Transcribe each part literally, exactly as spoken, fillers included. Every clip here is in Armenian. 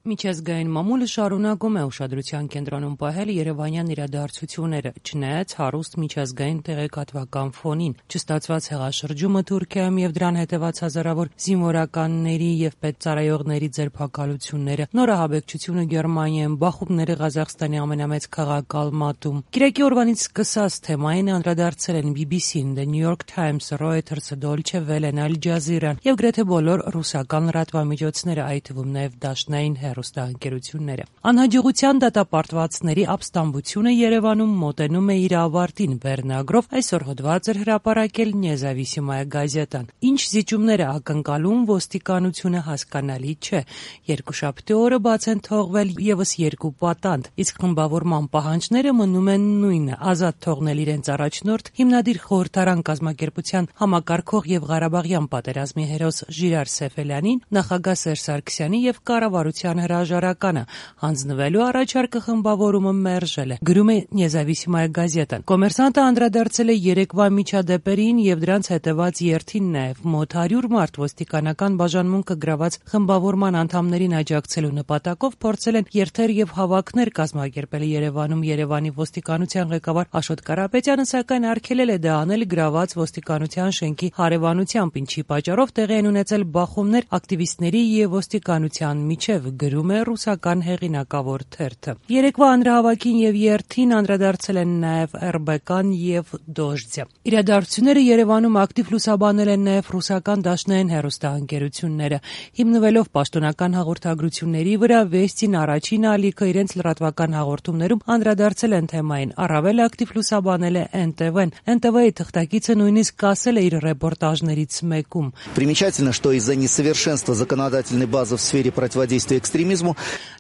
Միջազգային մամուլը շարունակում է ուշադրության կենտրոնում պահել երևանյան իրադարձությունները, չնայած հարուստ միջազգային տեղեկատվական ֆոնին, չստացված հեղաշրջումը Թուրքիայում եւ դրան հետեւած հազարավոր զինվորականների եւ պետծառայողների ձերբակալությունները, նորահաբեկչությունը Գերմանիայում, բախումները Ղազախստանի ամենամեծ քաղաք Ալմատում։ Կիրակի օրվանից սկսած թեմային անդրադարձել են բի բի սին, The New York Times, Reuters, Deutsche Welle, Al Jazeera եւ գրեթե բոլոր ռուսական լրատվամիջոցները, այդ թվում նաեւ դաշնային հեռուստաընկերությունները։ Անհաջողության դատապարտվածների ապստամբությունը Երևանում մոտենում է իր ավարտին վերնագրով այսօր հոդված էր հրապարակել Նեզավիսիմայա գազետան։ Ինչ զիջումներ է ակնկալում ոստիկանությունը հասկանալի չէ։ Երկուշաբթի օրը բաց են թողվել եւս երկու պատանդ, իսկ խմբավորման պահանջները մնում են նույնը՝ ազատ թողնել իրենց առաջնորդ հիմնադիր խորհրդարան կազմակերպության համակարգող եւ Ղարաբաղյան պատերազմի հերոս Ժիրար Սեֆելյանին, նախագահ Սերժ Սարգսյանի եւ կառավարության հրաժարականը, հանձնվելու առաջարկը խմբավորումը մերժել է, գրում է Նեզավիսիմայա գազետան։ Կոմերսանտը անդրադարձել է երեկվա միջադեպերին եւ դրանց հետեւած երթին նաեւ մոտ հարյուր մարդ ոստիկանական բաժանմունքը գրաված խմբավորման անդամներին աջակցելու նպատակով փորձել են երթեր եւ հավաքներ կազմակերպել Երևանում։ Երևանի ոստիկանության ղեկավար Աշոտ Կարապետյանը սակայն արգելել է դա անել գրաված ոստիկանության շենքի հարևանությամբ, ինչի պատճառով տեղի են ունեցել բախումներ ակտիվիստների եւ ոստիկանության միջև, գրում է ռուսական հեղինակավոր թերթը։ Երեկվա հանրահավաքին եւ երթին անդրադարձել են նաեւ Էր Բե Կան եւ Դոժձը։ Իրադարձությունները Երևանում ակտիվ լուսաբանել են նաեւ ռուսական դաշնային հեռուստաընկերությունները, հիմնվելով պաշտոնական հաղորդագրությունների վրա, Վեստին առաջին ալիքը իրենց լրատվական հաղորդումներում անդրադարձել են թեմային, առավել ակտիվ լուսաբանել է Էն Տե Վեն։ Էն Տե Վի թղթակիցը նույնիսկ ասել է իր ռեպորտաժներից մեկում. Примечательно, что из-за несовершенства законодательной базы в сфере противодействия экстремизму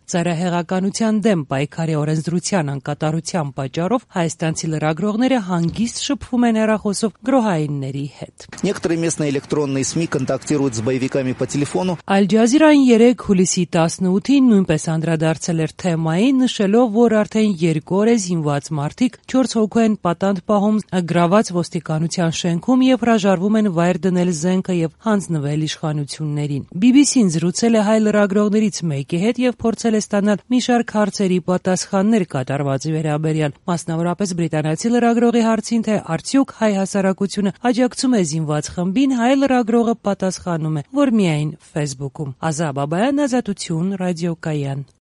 Ծայրահեղականության դեմ պայքարի օրենսդրության անկատարության պատճառով հայաստանցի լրագրողները հանգիստ շփվում են հեռախոսով գրոհայինների հետ։ Некоторые местные электронные СМИ контактируют с боевиками по телефону. Al Jazeera-ին երեկ հուլիսի տասնութին նույնպես անդրադարձել էր թեմային, նշելով, որ արդեն երկու օր է զինված մարդիկ չորս հոգու են պատանդ պահում գրաված ոստիկանության շենքում եւ հրաժարվում են վայր դնել զենքը եւ հանձնվել իշխանություններին։ բի բի սին զրուցել է հայ լրագրողներից մեկի հետ եւ փորձել է ստանալ մի շարք հարցերի պատասխաններ կատարվածի վերաբերյալ, մասնավորապես բրիտանացի լրագրողի հարցին, թե արդյոք հայ հասարակությունը աջակցում է զինված խմբին, հայ լրագրողը պատասխանում է, որ միայն Facebook-ում։ Ազա Բաբայան, Ազատություն, ռադիոկայան։